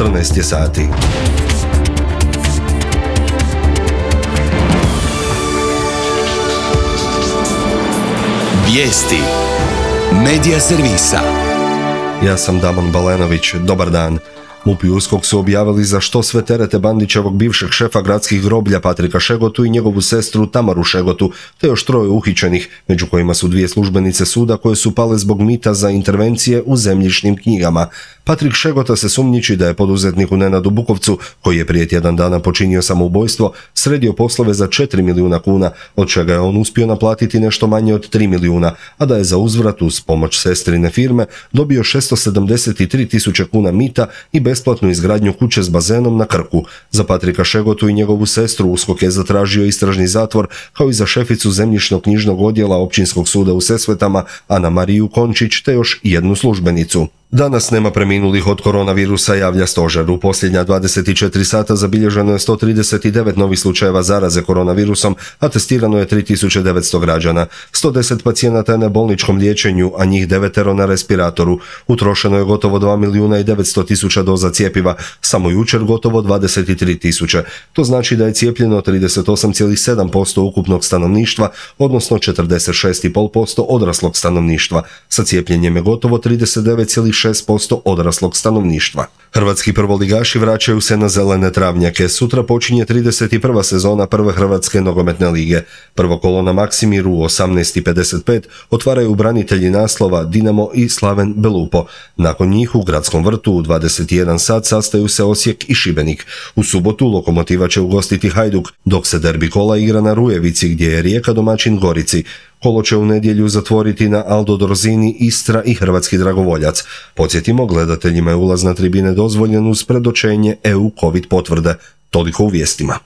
14 je sati. Vijesti Medija servisa. Ja sam Damon Balenović, dobar dan. MUP i USKOK su objavili za što sve terete Bandićevog bivšeg šefa gradskih groblja Patrika Šegotu i njegovu sestru Tamaru Šegotu, te još 3 uhićenih, među kojima su 2 službenice suda koje su pale zbog mita za intervencije u zemljišnim knjigama. Patrik Šegota se sumnjiči da je poduzetniku Nenadu Bukovcu, koji je prije tjedan dana počinio samoubojstvo, sredio poslove za 4 milijuna kuna, od čega je on uspio naplatiti nešto manje od 3 milijuna, a da je za uzvrat uz pomoć sestrine firme dobio 673.000 kuna mita i besplatnu izgradnju kuće s bazenom na Krku. Za Patrika Šegotu i njegovu sestru USKOK je zatražio istražni zatvor, kao i za šeficu zemljišno-knjižnog odjela Općinskog suda u Sesvetama Ana Mariju Končić, te još 1 službenicu. Danas nema preminulih od koronavirusa, javlja stožer. U posljednja 24 sata zabilježeno je 139 novih slučajeva zaraze koronavirusom, a testirano je 3900 građana. 110 pacijenata je na bolničkom liječenju, a njih 9 na respiratoru. Utrošeno je gotovo 2.900.000 doza cjepiva, samo jučer gotovo 23.000. To znači da je cijepljeno 38,7% ukupnog stanovništva, odnosno 46,5% odraslog stanovništva. Sa cijepljenjem je gotovo 39,6% odraslog stanovništva. Hrvatski prvoligaši vraćaju se na zelene travnjake. Sutra počinje 31. sezona prve Hrvatske nogometne lige. Prvo kolo na Maksimiru u 18:55 otvaraju branitelji naslova Dinamo i Slaven Belupo. Nakon njih u Gradskom vrtu u 21 sat sastaju se Osijek i Šibenik. U subotu Lokomotiva će ugostiti Hajduk, dok se derbi kola igra na Rujevici, gdje je Rijeka domaćin Gorici. Kolo će u nedjelju zatvoriti na Aldo Dorzini, Istra i Hrvatski dragovoljac. Podsjetimo, gledateljima je ulaz na tribine dozvoljen uz predočenje EU COVID potvrde. Toliko u vijestima.